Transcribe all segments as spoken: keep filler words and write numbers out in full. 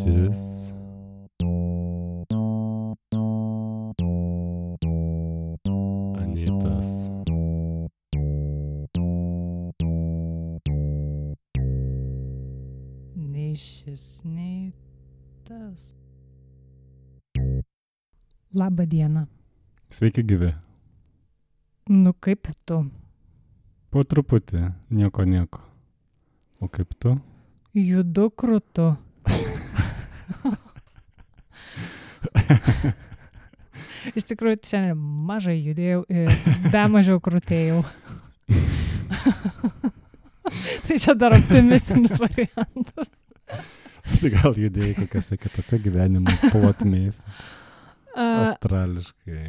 Šis Anytas Nei šis, nei tas. Labą dieną. Sveiki gyvi. Nu kaip tu? Po truputį, nieko nieko. O kaip tu? Judu krūtu. Iš tikrųjų, šiandien mažai judėjau ir dar mažiau krūtėjau. Tai čia dar optimistinis variantas. Tai gal judėjai kokiose kitose gyvenimo plotmės. Astrališkai.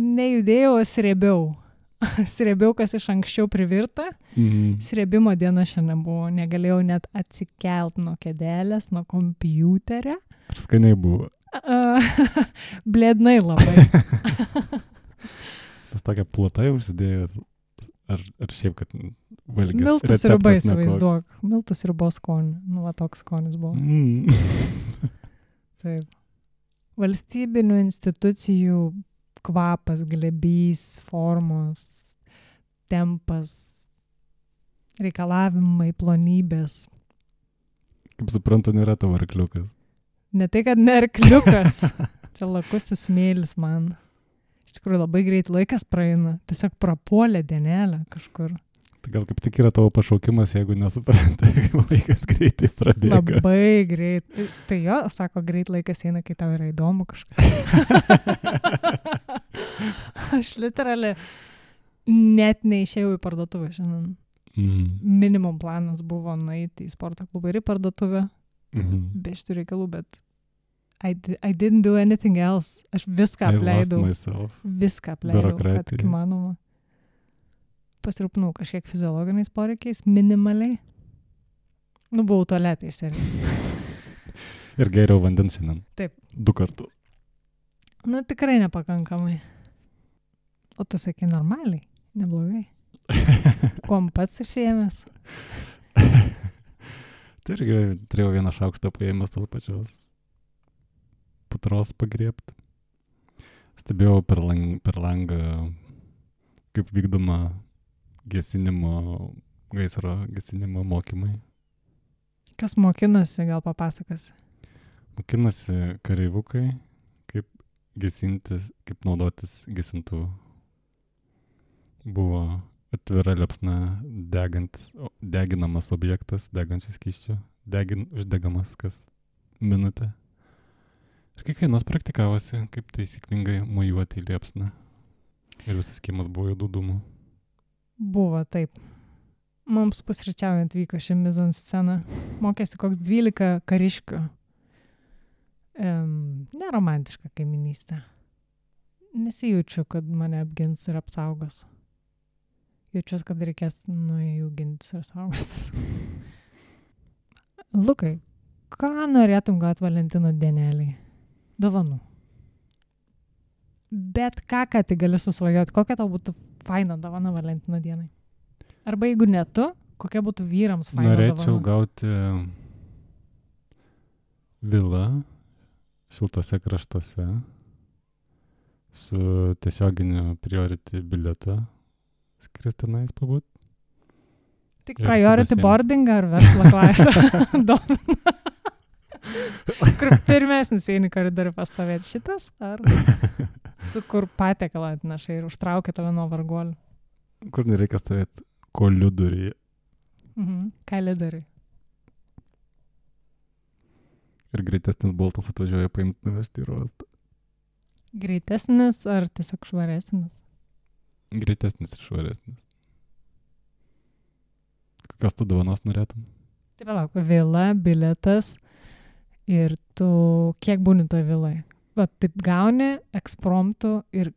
Nejudėjau, o srėbiau. Srėbiau, kas iš anksčiau privirta. Mm. Srėbimo diena šiandien buvo. Negalėjau net atsikelt nuo kėdelės, nuo kompiuterio. Ar skaniai buvo? Uh, blėdnai labai. Tas tokia plata jau užsidėjęs. Ar, ar šiaip, kad valgys Miltų receptas sriuba nekoks? įsivaizduok. Miltų sriuba skonį. Nu, va toks skonis buvo. Mm. Taip. Valstybinių institucijų kvapas, glebys, formos, tempas, reikalavimai, plonybės. Kaip suprantu, nėra tavo arkliukas. Ne tai, kad ne arkliukas. Čia lakusis smėlis man. Iš tikrųjų labai greit laikas praeina. Tiesiog prapuolė dienelę kažkur. Tai gal kaip tik yra tavo pašaukimas, jeigu nesuprantai, kaip laikas greitai prabėga. Labai greit. Tai jo, sako, greit laikas eina, kai tau yra įdomu kažkas. Aš literaliai net neišėjau į parduotuvę šiandien. Mm. Minimum planas buvo nueiti į sporto klubą ir į parduotuvę. Mm-hmm. Be šitų reikalų, bet I, di- I didn't do anything else. Aš viską apleidau. I lost myself. Viską apleidau, kad Biurokratija. įmanoma. Pasirūpinau kažkiek fiziologiniais poreikiais, minimaliai. Nu, buvau tualetą iš serijos. Ir geriau vandens šiandien. Taip. Du kartus. Nu, tikrai nepakankamai. O tu sakai normaliai, neblogai. Kuom pats išsiėmęs? Tai irgi turėjau vieną šaukštą paėmęs tos pačios putros pagriebt. Stebėjau per, lang, per langą, kaip vykdoma gesinimo, gaisro gesinimo mokymai. Kas mokinosi, gal papasakos? Mokinasi kareivukai, kaip gesinti, kaip naudotis gesintuvu. Buvo atvira liepsna degantis, o- deginamas objektas, degančias skysčių, degin, uždegamas kas minutę. Ir kiekvienas praktikavosi, kaip taisyklingai mojuoti į liepsną. Ir visas kiemas buvo juodų dūmų. Buvo, taip. Mums pusryčiaujant vyko ši mizanscena. Mokėsi koks dvylika kariškių. Um, neromantiška kaiminystė. Nesijaučiu, kad mane apgins ir apsaugos. Jaučiuosi, kad reikės nuo jų gintis ir saugos. Lukai, ką norėtum gauti Valentino dienelį? Dovanų. Bet ką, ką tai gali susvajoti? Kokia tau būtų faina dovana Valentino dienai? Arba jeigu ne tu, kokia būtų vyrams faina Norėčiau dovana? gauti vilą šiltose kraštuose su tiesioginiu priority bilietu skristinais pabūt. Tik ir priority su basenu. boarding ar verslo klasę domina? Kur pirmesnis eini koridorių pastovėti šitas? Ar su kur patiekalą atneša ir užtraukia tave nuo varguolių? Kur nereikia stovėti koliuduryje. Mhm. Ką lidari? Ir greitesnis boltas atvažiuoja paimti nuvežti į uostą. Greitesnis ar tiesiog švaresnis? Greitesnis ir švaresnis. Kokios tu dovanos norėtum? Tai palauk, vila, bilietas ir tu kiek būni toje viloje? Va, taip gauni ekspromptų ir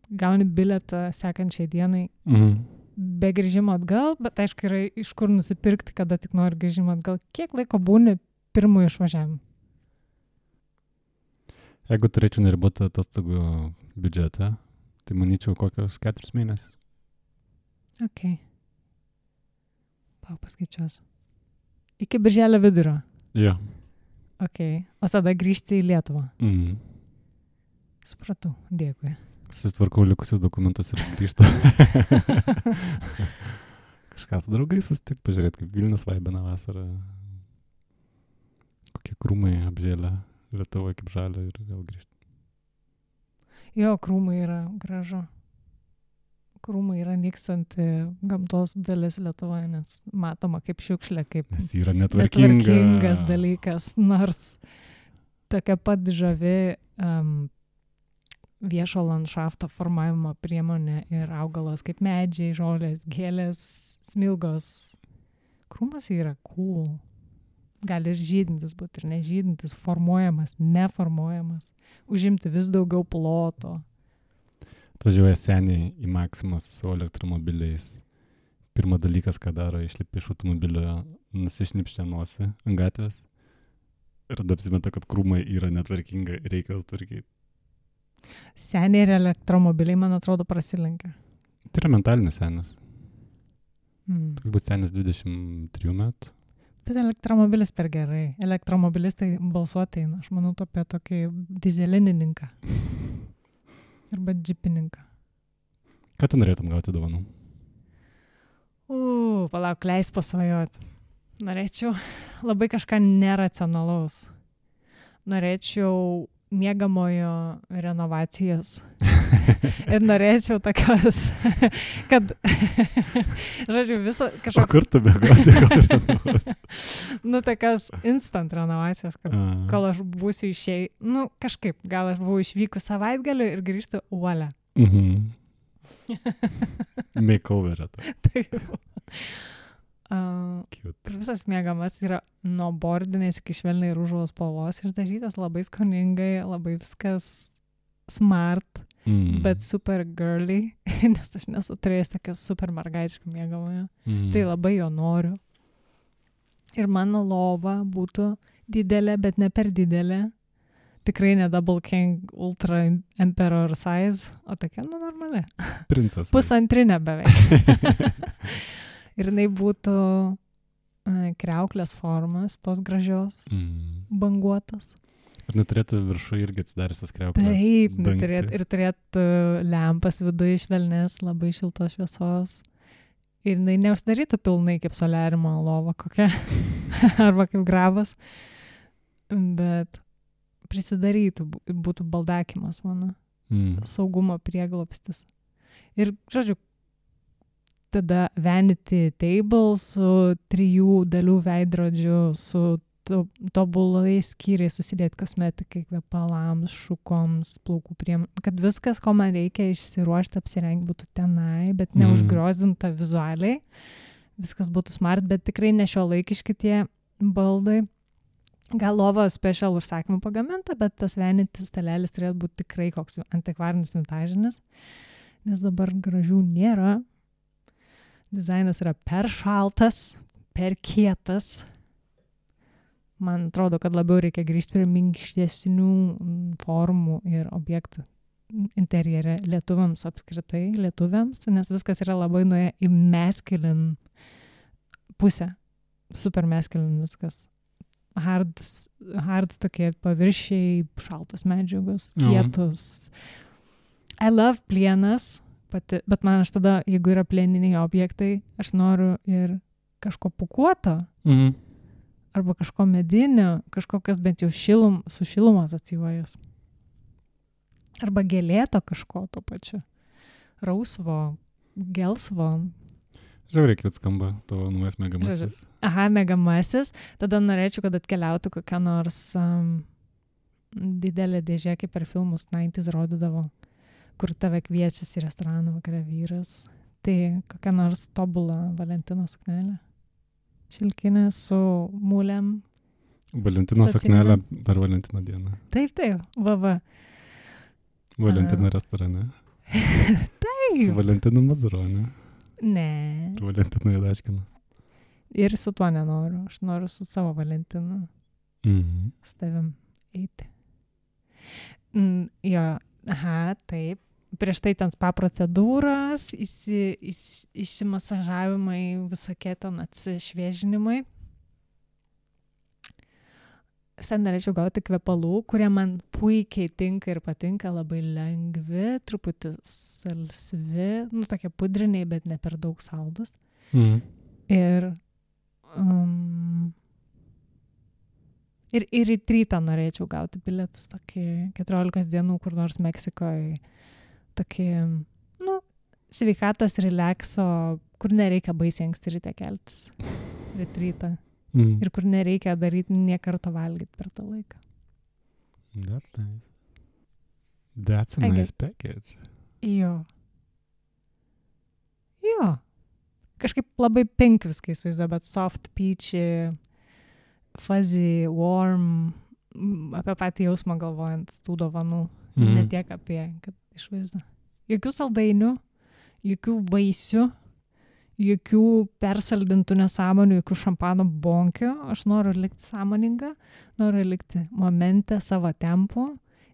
gauni bilietą sekančiai dienai Mhm. be grįžimo atgal, bet aišku yra iš kur nusipirkti, kada tik nori grįžimo atgal. Kiek laiko būni pirmųjų išvažiavimų? Jeigu turėčiau neribotą atostogų biudžetą, tai manyčiau kokios keturis mėnesius. Ok. Pau, paskaičiuosiu. Iki birželio vidurio. Jo. Ok. O tada grįžti į Lietuvą. Mm. Supratau. Dėkui. Susitvarkau likusius dokumentus ir grįžtu. Kažką su draugais susitikti, pažiūrėti, kaip Vilnius vaibina vasarą. Kokie krūmai apžėlę Lietuvoje kaip žalia ir vėl grįžti. Jo, krūmai yra gražu. Krūmai yra nykstanti gamtos dalis Lietuvoje, nes matoma kaip šiukšlė, kaip Nes yra netvarkinga. netvarkingas dalykas, nors tokia pat žavi um, viešo landšafto formavimo priemonė ir augalas kaip medžiai, žolės, gėlės, smilgos. Krūmas yra cool. Gali ir žydintis būti, ir nežydintis, formuojamas, neformuojamas, užimti vis daugiau ploto. Atvažiuoja seniai į Maksimą su savo elektromobiliais. Pirmas dalykas, ką daro, išlipi iš automobilio, nusišnipščia nosį ant gatvės ir tada apsimeta, kad krūmai yra netvarkinga ir reikia jas tvarkyti. Seniai ir elektromobiliai, man atrodo, prasilenkia. Tai yra mentalinis senis. Mm. Turbūt senis dvidešimt trijų metų. Bet elektromobilis per gerai. Elektromobilistai balsuoti eina. Aš manau apie tokį dizelinininką. Arba džipininką. Ką tu norėtum gauti dovanų? U, palauk, leis pasvajot. Norėčiau labai kažką neracionalaus. Norėčiau miegamojo renovacijas. Ir norėčiau tokios, kad, žodžiu, visą kažkoks... O kur tu bėgosi, gal renovuosi? Nu, tokios instant renovacijos, kad A. kol aš būsiu išėjai, nu, kažkaip, gal aš buvau išvykus savaitgaliu ir grįžtu uolę. Mhm. Makeoverą. Taip. Uh, ir visas miegamas yra nuo bordinės iki švelniai rūžaus spalvos išdažytas, labai skoningai, labai viskas smart, mm. bet super girly, nes aš nesu turėjęs tokią super mergaitišką miegamąją. Mm. Tai labai jo noriu. Ir mano lova būtų didelė, bet ne per didelė. Tikrai ne Double King Ultra Emperor size, o tokia, nu, normali. Princas. Pusantrinė beveik. Ir jinai būtų e, kriauklės formos, tos gražios, mm. banguotos. Ir neturėtų viršų irgi atsidariusios kriauklės. Taip, neturėtų, ir turėtų lempas viduje švelnės, labai šiltos šviesos. Ir jinai neužsidarytų pilnai kaip soliarimo lova kokia, arba kaip grabas, bet prisidarytų, būtų baldakimas mano, mm. saugumo prieglobstis. Ir, žodžiu, tada vanity table su trijų dalių veidrodžiu, su to, tobulai skyriai susidėti kosmetikai, kvepalams, šukoms, plaukų priem, kad viskas, ko man reikia išsiruošti, apsirengti būtų tenai, bet neužgriozdinta vizualiai. Viskas būtų smart, bet tikrai ne šiuolaikiški tie baldai. Gal lova special užsakymų pagaminta, bet tas vanity stalelis turėtų būti tikrai koks antikvarinis vintažinis, nes dabar gražių nėra. Dizainas yra per šaltas, per kietas. Man atrodo, kad labiau reikia grįžti prie minkštesnių formų ir objektų interjere lietuviams apskritai, lietuviams, nes viskas yra labai nuėję į masculine pusę. Super masculine viskas. Hards, hards tokie paviršiai, šaltos medžiagos, kietos. Mhm. I love plienas. Pati, bet man aš tada, jeigu yra plieniniai objektai, aš noriu ir kažko pukuoto, mm. arba kažko medinio, kažko, kas bent jau šilum, su šilumo asocijuojas. Arba gėlėto kažko to pačiu. Rausvo, gelsvo. Žiauriai, kiek skamba tavo naujas mėgamasis. Aha, mėgamasis. Tada norėčiau, kad atkeliautų kokia nors um, didelė dėžė, kaip per filmus nineties rodydavo, kur tave kviečiasi į restoraną vakarą vyras. Tai kokia nors tobula Valentino suknelė. Šilkinė su mūlėm. Valentino suknelė per Valentino dieną. Taip, taip, va, va. Valentino restorane. Taip. Su Valentinu Mazuroniu. Ne. Ir Valentinu Jadaškinu. Ir su tuo nenoriu. Aš noriu su savo Valentinu. Mhm. Su tavim eiti. Mm, jo, aha, taip. Prieš tai ten spa procedūros, įsi, įs, išsimasažavimai, visokie ten atsišviežinimai. Visai norėčiau gauti kvepalų, kurie man puikiai tinka ir patinka, labai lengvi, truputį salsvi, nu tokie pudriniai, bet ne per daug saldus. Mm. Ir, um, ir, ir į rytą norėčiau gauti bilietus tokį keturiolikos dienų, kur nors Meksikoje, tokį, nu, sveikatos relakso, kur nereikia baisiai anksti ryte keltis. Rytą. Mm. Ir kur nereikia daryti nie karto valgyti per tą laiką. That's nice. That's a I nice get- package. Jo. Jo. Kažkaip labai pink viską įsivaizduoju, bet soft, peachy, fuzzy, warm, mm, apie patį jausmą galvojant tų dovanų. Mhm. Ne tiek apie, kad išvaizdu. Jokių saldainių, jokių vaisių, jokių persaldintų nesąmonių, jokių šampano bonkių. Aš noriu likti sąmoninga, noriu likti momente savo tempu,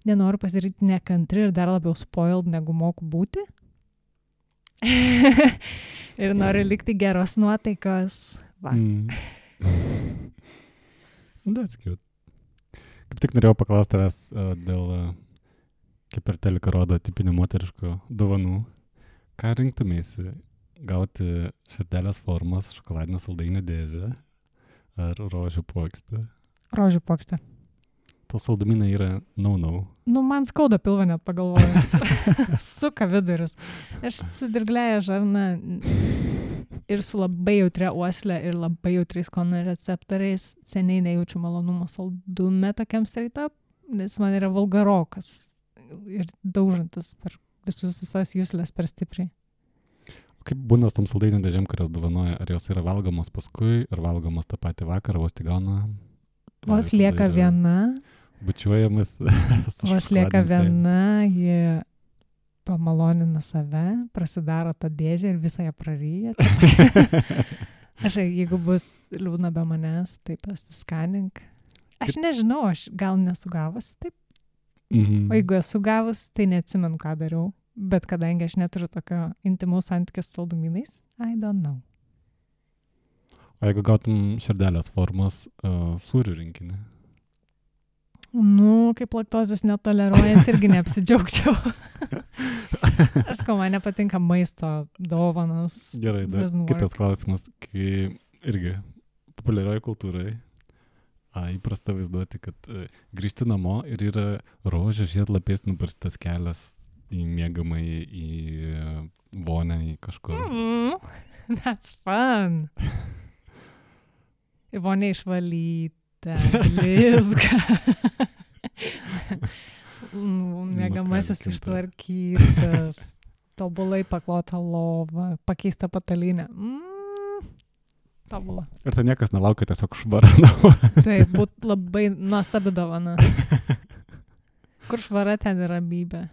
nenoriu pasidaryti nekantri ir dar labiau spoiled, negu moku būti. Ir noriu likti geros nuotaikos. Va. Mm. That's cute. Kaip tik norėjau paklausti tavęs uh, dėl, uh, kaip per teliką rodo, tipinių moteriškų dovanų. Ką rinktumėsi? Gauti širdelės formos šokoladinio saldainių dėžę ar rožių puokštę? Rožių puokštė. Tos saldumynai yra no-no. Nu, man skauda pilvą net pagalvojus. Suka vidurius. Aš su dirglėja žarna ir su labai jautria uoslė ir labai jautriais skonio receptoriais seniai nejaučiu malonumo saldume tokiam straight-up, nes man yra vulgarokas ir daužantis per visus visas juslės per stipriai. Kaip būna su tom saldainių dėžėm, kurios dovanoja? Ar jos yra valgomos paskui, ar valgomos tą patį vakarą, vos tik gauna? Vos lieka viena, Bučiuojamas. vos lieka viena, ji pamalonina save, prasidaro tą dėžę ir visą ją praryja. Aš, jeigu bus liūdna be manęs, tai pasiskanink. Aš nežinau, aš gal nesugavus taip. Mhm. O jeigu esu gavus, tai neatsimenu, ką dariau. Bet kadangi aš neturiu tokio intimaus santykio su saldumynais, I don't know. O jeigu gautum širdelės formos uh, sūrių rinkinį? Nu, kaip laktozės netoleruojant, irgi neapsidžiaugčiau. Aš sakau, man nepatinka maisto dovanos. Gerai, dar Doesn't kitas work. klausimas, kai irgi populiarioje kultūrai a, įprasta vaizduoti, kad a, grįžti namo ir yra rožių žiedlapiais nubarstas kelias į miegamąjį, į a, vonę, į kažkur. Mm, that's fun. Ir vonė išvalyta, blizga. Mėgamasis Nukalkinta. ištvarkytas, tobulai paklota lova, pakeista patalynė. Mm, tobula. Ir tai niekas nelaukia, tiesiog švara namo. Tai būtų labai nuostabi dovana. Kur švara, ten yra ramybė.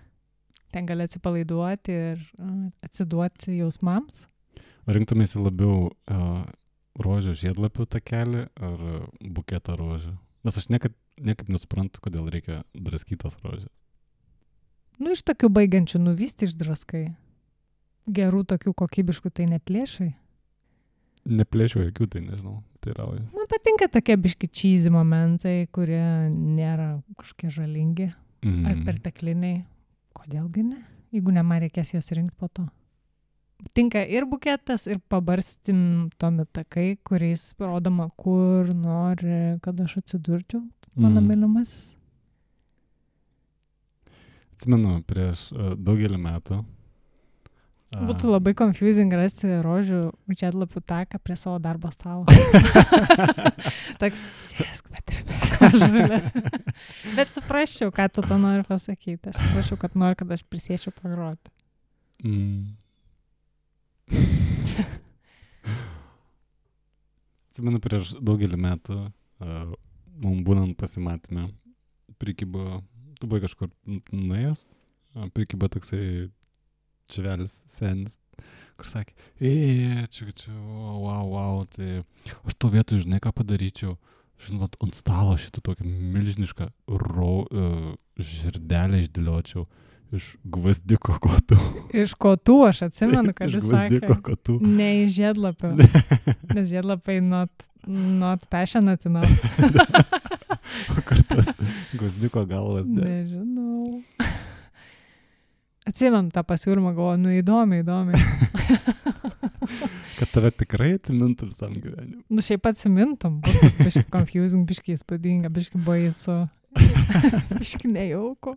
Ten gali atsipalaiduoti ir uh, atsiduoti jausmams. Rinktumėsi labiau uh, rožių žiedlapių takelį ar buketą rožių? Nes aš niekad, niekaip nesuprantu, kodėl reikia draskytas rožės. Nu, iš tokių baigiančių nuvysti išdraskai. Gerų tokių kokybiškų tai neplėšai. Neplėšiu jokių, tai nežinau, tai rauju. Man patinka tokie biški cheesy momentai, kurie nėra kažkokie žalingi Mm. ar pertekliniai. Kodėlgi ne? Jeigu ne, man reikės jas rinkti po to. Tinka ir buketas, ir pabarstim tomi takai, kuriais rodoma, kur nori, kad aš atsidurčiau, mano Mm. mylimasis. Atsimenu, prieš uh, daugelį metų. a, Būtų labai confusing rasti rožių žiedlapių taką prie savo darbo stalo. Toks, sėsk, patirbėk, žalė. Bet suprasčiau, ką tu to nori pasakyti. Aš suprasčiau, kad nori, kad aš prisėčiau pagroti. Mm. Atsimenu, prieš daugelį metų, uh, mums būnant pasimatymę, prikibo, tu buvai kažkur nuėjęs, uh, prikibo toksai čevelis senis, kur sakė, ei, čia, čia, wow, wow, tai aš to vietoj, žinai, ką padaryčiau, žinot, ant stalo šitą tokią milžinišką ro, uh, žirdelę išdėliočiau iš gvazdiko kotų. Iš kotų aš atsimenu, kad Iš jis gvazdiko sakė. kotų. Ne iš žiedlapio. Nes žiedlapai not, not passionate enough. O kur tas guzdiuko galvas? De? Nežinau. Atsimam tą pasiūlymą, galvoju, nu įdomi, įdomi. Kad tave tikrai atsimintų visam gyvenimu. Nu šiaip atsimintum, būtų biški confusing, biški įspūdinga, biški baisu, biški nejauku.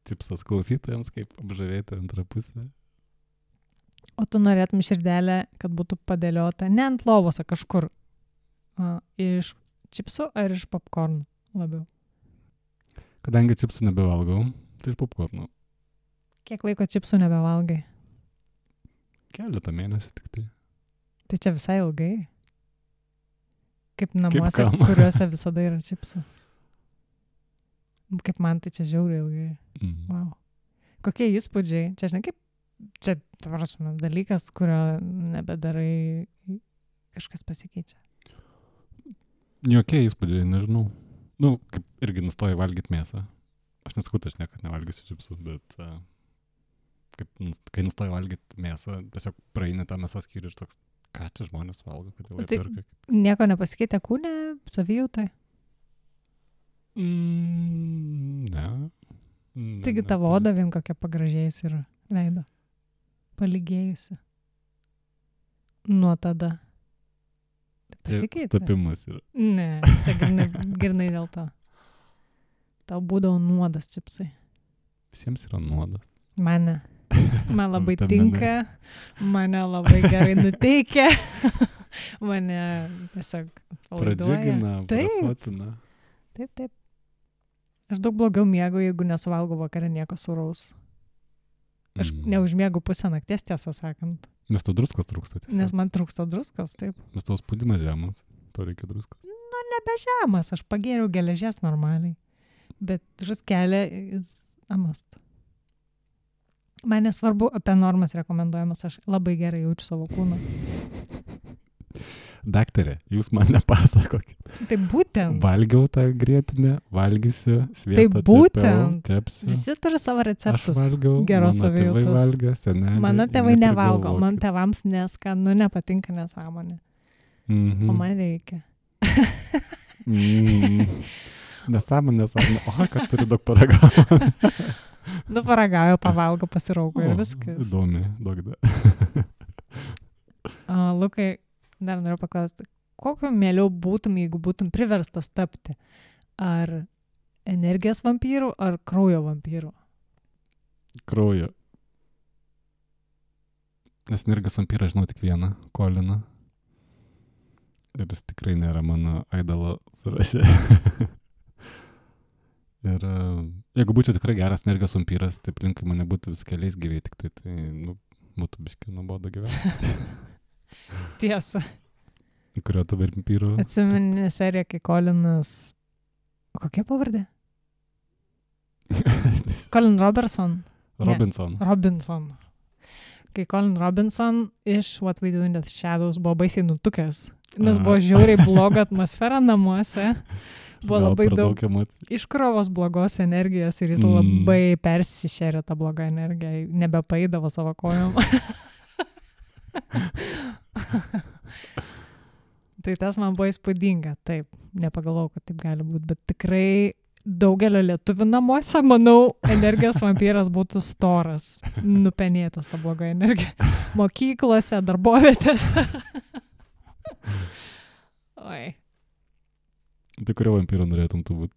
Tipsas klausytojams, kaip apžavėti antrą pusę. O tu norėtum širdelę, kad būtų padėliota ne ant lovos, o kažkur. A, iš čipsų ar iš popkornų labiau? Kadangi čipsų nebevalgau, tai iš popkornų. Kiek laiko čipsų nebevalgai? Keletą mėnesių tik tai. Tai čia visai ilgai. Kaip namuose, kam? kuriuose visada yra čipsų. Kaip man tai čia žiauriai ilgai. Mm. Wow. Kokie įspūdžiai? Čia, žinai, kaip, čia, tvarasime, dalykas, kurio nebedarai, kažkas pasikeičia. Jokie įspūdžiai, nežinau. Nu, kaip irgi nustoju valgyti mėsą. Aš nesakau, aš niekad nevalgysiu čipsų, bet uh, kaip, kai nustoju valgyti mėsą, tiesiog praeini tą mėsos skyrių ir toks, ką čia žmonės valgo, kodėl jie Tai perka. nieko nepasikeitė kūne, savijautai? Mm, ne. ne. Taigi tavo oda vien kokia pagražėjusi yra veido. Paligėjusi. Nuo tada. Tai pasikeitė. Stapimas yra. Ne, čia girnai, girnai dėl to. Tau būdavo nuodas čipsai. Visiems yra nuodas. Mane. Man labai Vitaminai. tinka. Mane labai gerai nuteikia. Mane tiesiog palaiduoja. Pradžiugina, Taip. prasotina. Taip, taip. Aš daug blogiau miegu, jeigu nesuvalgau vakarą nieko sūraus. Aš Mm. neužmiegu pusę nakties, tiesą sakant. Nes to druskos trūksta tiesiog. Nes man trūksta druskos, taip. Nes tavo spaudimas žemas. To reikia druskos. Nebe žemas, aš pagėriau geležies normaliai. Bet žuskelė jis amast. Man nesvarbu apie normas rekomenduojamas, aš labai gerai jaučiu savo kūną. Daktarė, jūs man nepasakokit. Tai būtent. Valgiau tą grietinę, valgysiu, sviestą Tai būtent. tepiau, tepsiu. Visi turi savo Aš receptus. valgiau, geros mano tėvai savijautos. valgė, seneliai. Mano tėvai nevalgo, man neprigalvokit. tėvams neskanu, nepatinka nesąmonė. Mhm. O man reikia. Mm. Nesąmonė, nesąmonė. O, kad turi daug paragauti. Nu, paragauju, pavalgo, pasiraugo ir O, viskas. Įdomi, daug dar. Uh, Lukai, dar noriu paklausti, kokio mieliau būtum, jeigu būtum priverstas tapti? Ar energijos vampyrų, ar kraujo vampyrų? Kraujo. Nes energijos vampyrą žinau tik vieną, Koliną. Ir jis tikrai nėra mano aidalo sąraše. Ir uh, jeigu būčiau tikrai geras energijos vampyras, tai aplinkui mane būtų vis keliais gyviai, tik tai, tai nu, būtų biškai nuobodu gyventi. Tiesa. Kurio tu vampyrų? Atsimeni seriją, kai Kolinas... Kokia pavardė? Colin Robertson. Robinson. Ne, Robinson. Kai Colin Robinson iš What We Do in the Shadows buvo baisiai nutukęs, nes Aha. buvo žiauriai bloga atmosfera namuose, buvo Gal labai per daug daug emocijų. iškrovos blogos energijos ir jis Mm. labai persišėrė tą blogą energiją, nebepaidavo savo kojom. Tai tas man buvo įspūdinga, taip, nepagalvojau, kad taip gali būti, bet tikrai daugelio lietuvių namuose, manau, energijos vampyras būtų storas, nupenėtas tą blogą energiją. Mokyklose, darbovietėse. Oi. Tai kurio vampyro norėtum tu būti?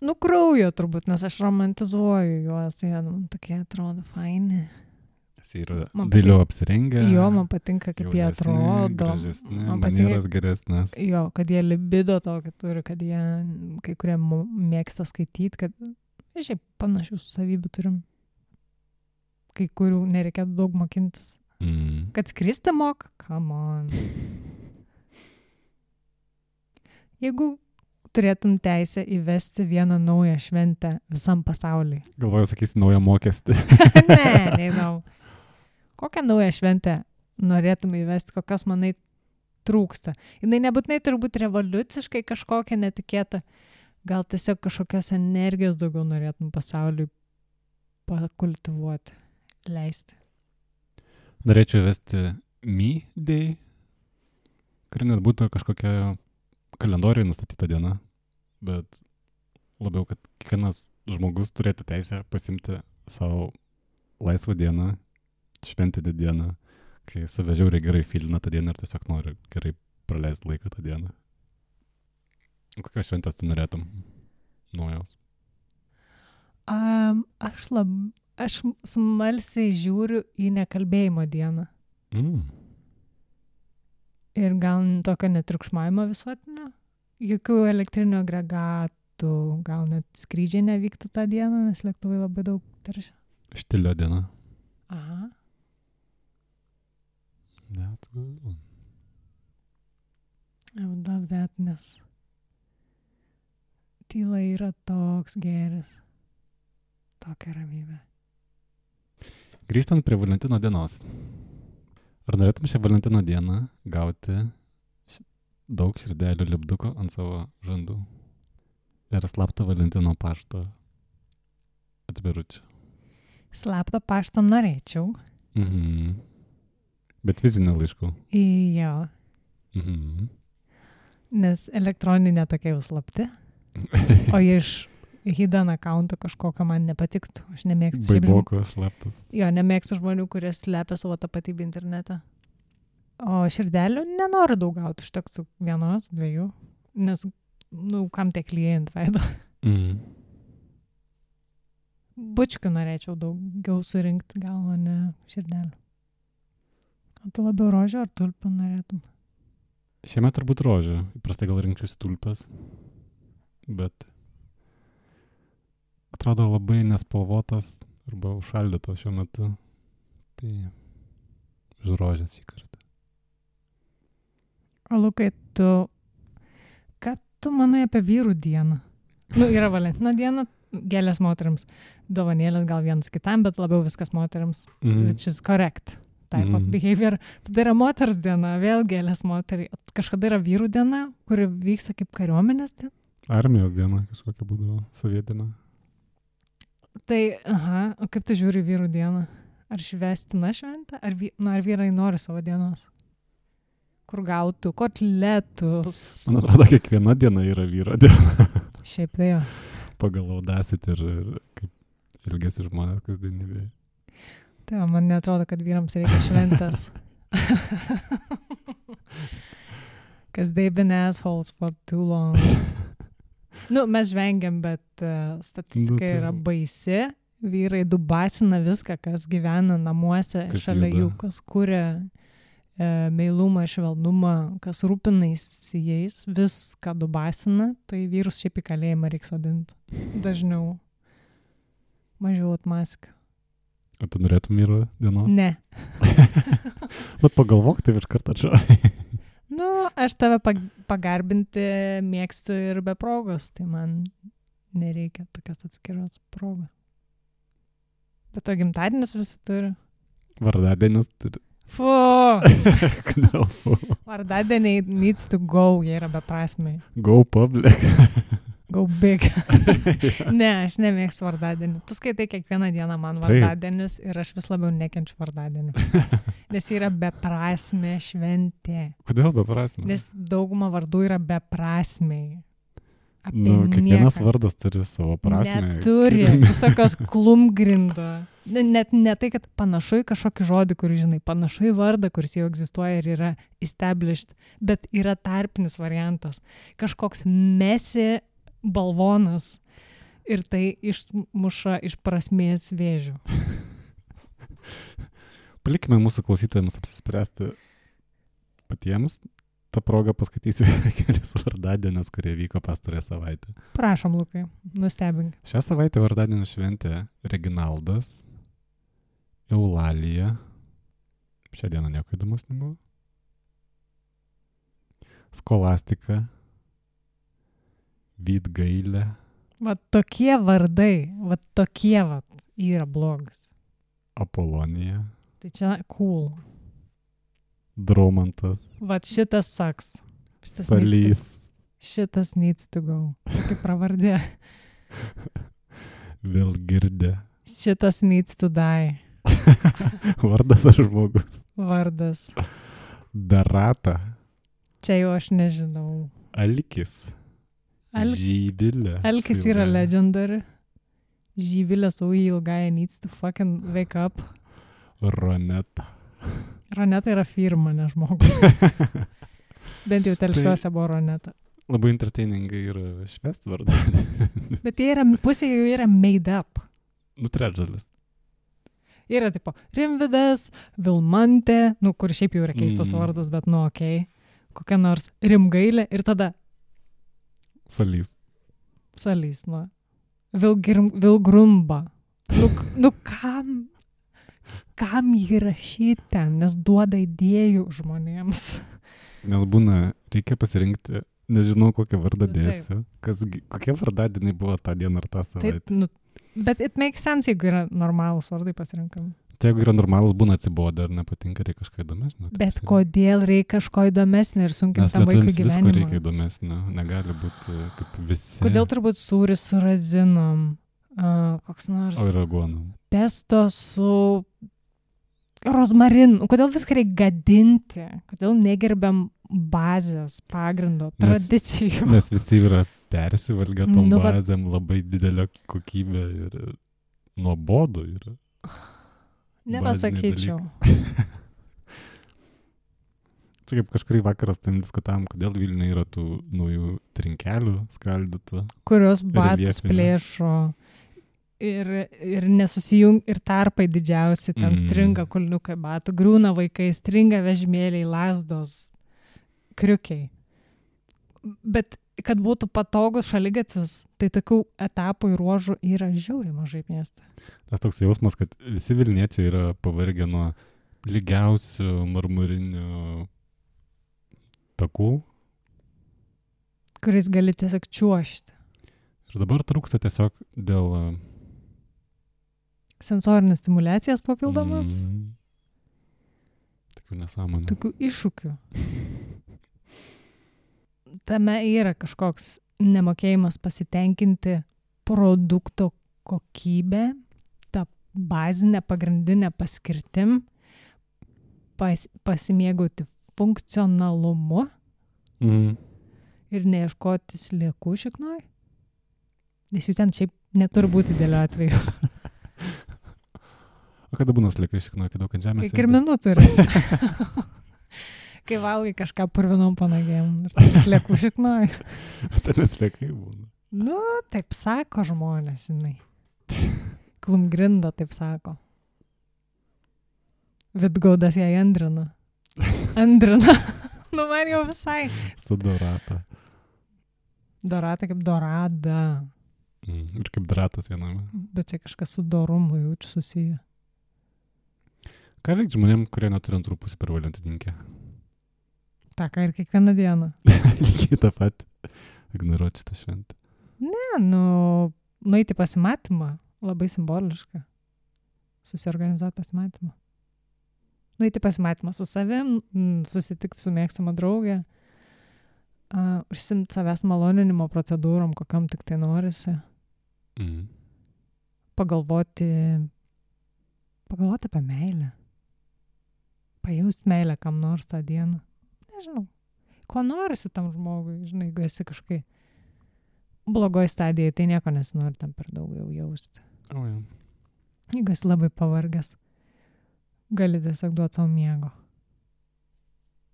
Nu, kraujo turbūt, nes aš romantizuoju juos, tai jie man tokie atrodo faini. Jis yra Man dailiau apsirengę. Jo, man patinka, kaip jie jaunesni, atrodo. Gražesni, Man manieros patinka, geresnės. jo, kad jie libido tokį turi, kad jie kai kurie mo- mėgsta skaityti, kad šiaip panašių savybių turim. Kai kurių nereikėtų daug mokintis. Mm. Kad skristi moka? Come on. Jeigu turėtum teisę įvesti vieną naują šventę visam pasauliui. Galvoju, sakysi, naują mokestį. Ne, neįdomu. Kokią naują šventę norėtum įvesti, kokios manai trūksta? Jinai nebūtinai turi būti revoliuciškai kažkokia netikėta. Gal tiesiog kažkokios energijos daugiau norėtum pasauliui pakultivuoti, leisti. Norėčiau vesti Me Day. kuri net būtų kažkokia kalendorijoje nustatyta diena, bet labiau, kad kiekvienas žmogus turėtų teisę pasimti savo laisvą dieną, šventinę dieną, kai save žiauriai gerai filina tą dieną ir tiesiog nori gerai praleisti laiką tą dieną. Kokios šventės tu norėtum naujos? Um, aš, lab, aš smalsiai žiūriu į nekalbėjimo dieną. Mm. Ir gal tokio netriukšmavimo visuotinio. Jokių elektrinių agregatų, gal net skrydžiai nevyktų tą dieną, nes lėktuvai labai daug teršia. Štilio diena. Aha. That's good one. I would love that, nes tyla yra toks gėris. Tokia ramybė. Grįžtant prie Valentino dienos. Ar norėtum šią Valentino dieną gauti daug širdelių lipduko ant savo žandų? Ir slapto Valentino pašto atviručių? Slapto pašto norėčiau. Mhm. Bet fizinių laiškų? Jo. Mhm. Nes elektroninė tokia jau slapti. O iš hidden accounto kažkokio man nepatiktų. Aš nemėgstu. Baiboko slaptas. Jo, nemėgstu žmonių, kurie slepia savo tapatybę internete. O širdelių nenoriu daug gauti, užtektų vienos, dviejų. Nes, nu, kam tiek lyja ant veido. Mhm. Bučkių norėčiau daugiau surinkti, gal o ne širdelių. O tu labiau rožę ar tulpę norėtum? Šiemet turbūt rožė. Įprastai gal rinkčiausi tulpes. Bet atrodo labai nespalvotas arba užšaldytos šiuo metu. Tai už rožės šį kartą. O Lukai, tu... Ką tu manai apie vyrų dieną? Nu, yra Valentino diena, gėlės moteriams. Dovanėlės gal vienas kitam, bet labiau viskas moteriams. Mhm. Which is correct type mm. of Mhm. behavior. Tada yra moters diena, vėl gėlės moteriai. Kažkada yra vyrų diena, kuri vyksta kaip kariuomenės diena. Armijos diena kažkokia būdavo, sovietinė. Tai, aha, o kaip tu žiūri vyrų dieną? Ar švestina šventė? Ar, vy, nu, ar vyrai nori savo dienos? Kur gautų kotletus? Man atrodo, kiekviena diena yra vyro diena. Šiaip tai jo. Pagal audacity ir, ir kaip ilgesi žmonės kasdienybėje. Tai jo, man netrodo, kad vyrams reikia šventės. Because they've been assholes for too long. Nu, mes žvengiam, bet uh, statistika Nu, tai- yra baisi. Vyrai dubasina viską, kas gyvena namuose, Kas šalia juda. jų, kas kuria e, meilumą, švelnumą, kas rūpinasi jais, viską dubasina, tai vyrus šiaip į kalėjimą reikia sodinti. Dažniau. Mažiau atmaskių. O tu norėtum vyro dienos? Ne. Bet pagalvok, tai iš karto atšai. Nu, aš tave pag- pagarbinti mėgstu ir be progos, tai man nereikia tokios atskiros progos. Bet to gimtadienis visi turi. Vardadienis turi. Fu! Kodėl fu? Vardadieniai needs to go, jie yra beprasmiai. Go public. Go big. Ne, aš nemėgstu vardadienių. Tu skaitai kiekvieną dieną man Taip. vardadienis ir aš vis labiau nekenčiu vardadienių. Nes jie yra beprasmė šventė. Kodėl beprasmė? Nes dauguma vardų yra beprasmiai. Apie Nu, kiekvienas nieką. vardas turi savo prasmę. Neturi. Visokios klumgrindo. Ne- Net ne tai, kad panašu į kažkokį žodį, kurį žinai, panašu į vardą, kuris jau egzistuoja ir yra established, bet yra tarpinis variantas. Kažkoks mesi balvonas ir tai išmuša iš prasmės vėžių. Palikime mūsų klausytojams apsispręsti patiems. Ta proga paskaitysiu kelias vardadienius, kurie vyko pastarąją savaitę. Prašom, Lukai, nustebink. Šią savaitę vardadienį šventė Reginaldas, Eulalija. Šią dieną nieko įdomus nebuvo. Skolastika, Vydgailė, Va tokie vardai, va tokie va yra blogas. Apolonija, Tai čia cool. Dromantas, Va šitas saks. Šitas needs Salys, to, šitas needs to go. Kaip pravardė. Vilgirdė. Šitas needs to die. Vardas ar žmogus? Vardas. Darata. Čia jau aš nežinau. Alkis. Al... Žyvilė. Alkis su yra ilgąja. legendary. Žyvilė su į ilgąją needs to fucking wake up. Roneta. Roneta yra firma, ne žmogus. Bent jau telšiuose buvo Roneta. Labai entertainingai yra švest vardą. Bet jie yra, pusė jų yra made up. Nu, trečdalis. Yra tipo Rimvidas, Vilmantė, nu kur šiaip jau yra keistas Mm. vardas, bet nu okei. Okay. Kokia nors Rimgailė ir tada Salys. Salys, nu. Vilgrim, Vilgrumba. Nu, nu kam, kam jį rašyti ten, nes duoda idėjų žmonėms. Nes būna, reikia pasirinkti, nežinau kokią vardą Nu, taip. dėsiu. Kas, gi- kokie vardadieniai buvo tą dieną ar tą Taip, savaitę. nu, bet it makes sense, jeigu yra normalūs vardai pasirinkami. Tai jeigu yra normalus, būna atsibodę ar nepatinka, reikia kažką įdomesnio. taip Bet pasirinkti. kodėl reikia kažko įdomesnio ir sunkinti Nes tam vaikui lietuviams visko reikia gyvenimą? įdomesnio, negali būti kaip visi. Kodėl turbūt sūris su razinom, uh, koks nors O ir aguonų. pesto su rozmarinu. Kodėl viską reikia gadinti? Kodėl negerbiam bazės, pagrindo, Nes- tradicijų? Nes visi yra persivalgę tom Nu, va- bazėm, labai didelė kokybė ir nuobodu yra. Nepasakyčiau. Čia kaip kažkurį vakarą su tavim diskutavom, kodėl Vilniuje yra tų naujų trinkelių skaldytų. Kurios batus Reljefinių. plėšo ir, ir nesusijung, ir tarpai didžiausi, ten Mm. stringa kulniukai batų, griūna vaikai, stringa vežimėliai, lasdos, kriukiai. Bet kad būtų patogus šaligatvis, tai tokių etapų ir ruožų yra žiauriai mažai mieste. Nes toks jausmas, kad visi Vilniečiai yra pavargę nuo lygiausių marmurinių takų. Kuris gali tiesiog čiuošti. Ir dabar trūksta tiesiog dėl... Sensorinės stimulacijas papildomas, Mm, tokių nesąmonių. tokių iššūkių. Tame yra kažkoks nemokėjimas pasitenkinti produkto kokybę, tą bazinę, pagrindinę paskirtim, pas, pasimėgauti funkcionalumu Mm. ir neieškoti sliekų šiknoj. Nes jų ten šiaip neturi būti dėlio atveju. O kada būna sliekai šiknoja, kai daug ant žemės? Kai kirminų turi. Kai valgai kažką purvinom panagėm ir turi sliekų šiknoj. Ten sliekai būna. Nu, taip sako žmonės, žinai. Klumgrinda taip sako. Vidgaudas jai andrina. Andrina. Nu, man jau visai. Su dorata. Dorata kaip dorada. Mm. Ir kaip dratas viename. Bet čia kažkas su dorumu jaučiu susiję. Ką veikti žmonėm, kurie neturi antrų pusių per valentininkę? Ta ką ir kiekvieną dieną. Lygiai tą pat. Ignoruoti šitą šventę. Ne, nu, nueiti pasimatymą. Labai simboliška. Susiorganizuoti pasimatymą. Nueiti pasimatymą su savim, mm, susitikti su mėgstama draugė, uh, užsimti savęs maloninimo procedūrom, kokiam tik tai norisi. Mm. Pagalvoti, pagalvoti apie meilę. Pajausti meilę kam nors tą dieną. Nežinau. Ko norisi tam žmogui, žinai, jeigu esi kažkai blogoj stadijai, tai nieko nesinori tam per daug jau jausti. O, ja. Jeigu esi labai pavargęs, gali tiesiog duoti savo miego.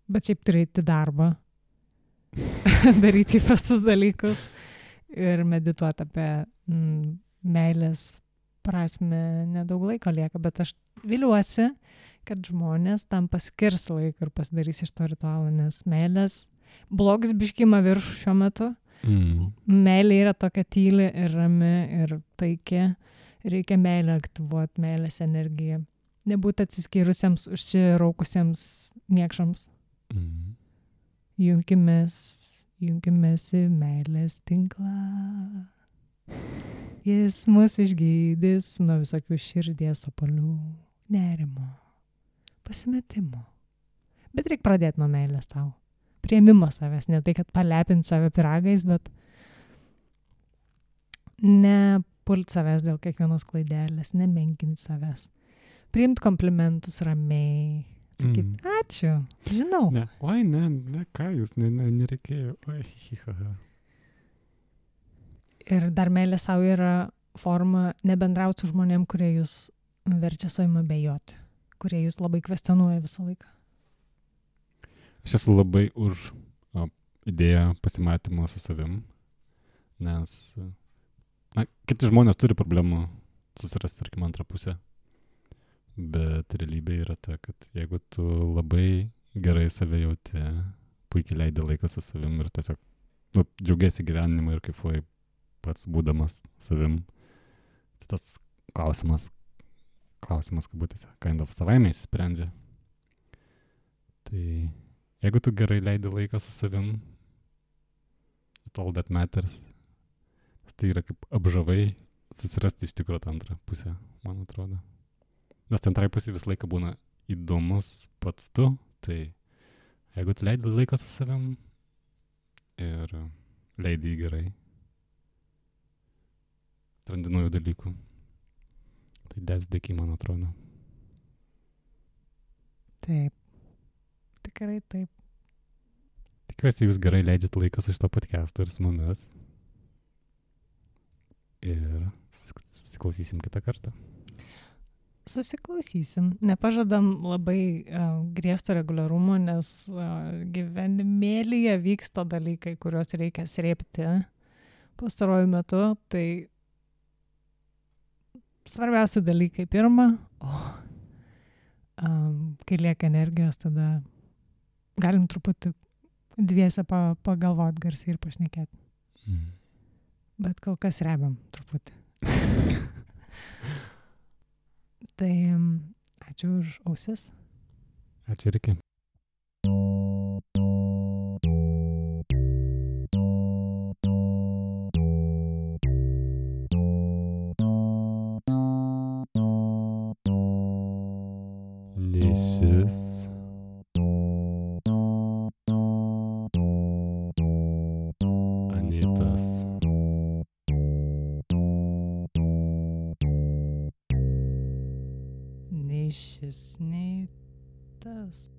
Bet šiaip turi eiti į darbą, daryti įprastus dalykus ir medituoti apie mm, meilės prasme. Nedaug laiko lieka, bet aš viliuosi, kad žmonės tam paskirs laiką ir pasidarys iš to ritualo, nes meilės blogis biškima virš šiuo metu. Mm. Meilė yra tokia tyli ir rami ir taiki. Reikia meilę aktyvuoti, meilės energiją. Nebūti atsiskyrusiems, užsiraukusiems niekšams. Mm. Junkimės, junkimės į meilės tinklą. Jis mus išgydys nuo visokių širdies opalių, nerimo, pasimetimo. Bet reikia pradėti nuo meilės savo. Priėmimo savęs, ne tai, kad palepinti save piragais, bet nepult savęs dėl kiekvienos klaidelės, nemenkinti savęs. Priimti komplimentus ramiai, Sakyt, Mm. ačiū, žinau. Ne, oi, ne, ne, ką jūs, ne, ne, nereikėjo, oi, hihaha. Ir dar meilė savo yra forma nebendrauti su žmonėm, kurie jūs verčia savimi abejoti, kurie jūs labai kvestionuoja visą laiką. Aš esu labai už o, idėją pasimatymo su savim, nes, na, kiti žmonės turi problemų susirasti, tarkim, antrą pusę, bet realybė yra ta, kad jeigu tu labai gerai save jauti, puikiai leidi laiką su savim ir tiesiog, nu, džiaugiasi gyvenimu ir kaifuoji pats būdamas savim, tai tas klausimas, klausimas, kabutėse, kind of savaime įsisprendžia. Tai jeigu tu gerai leidi laiką su savim, it's all that matters. Tai yra kaip apžavai susirasti iš tikrųjų tą antrą pusę, man atrodo. Nes tai antrai pusė visą laiką būna įdomus pats tu, tai jeigu tu leidi laiką su savim ir leidi jį gerai, atrandi naujų dalykų, tai that's the key, man atrodo. Taip, tikrai taip. Tikiuosi, jūs gerai leidžiat laiką su šito podcastu ir su mumis. Ir susiklausysim kitą kartą. Susiklausysim. Nepažadam labai uh, griežto reguliarumo, nes uh, gyvenimėlyje vyksta dalykai, kuriuos reikia srėpti pastaruoju metu. Tai svarbiausi dalykai pirma, o um, kai lieka energijos, tada galim truputį dviese pa, pagalvot garsiai ir pašnekėti. Mm. Bet kol kas rebiam truputį. Tai ačiū už ausis. Ačiū ir iki. Nišis. Anitas. Nei šis, nei tas.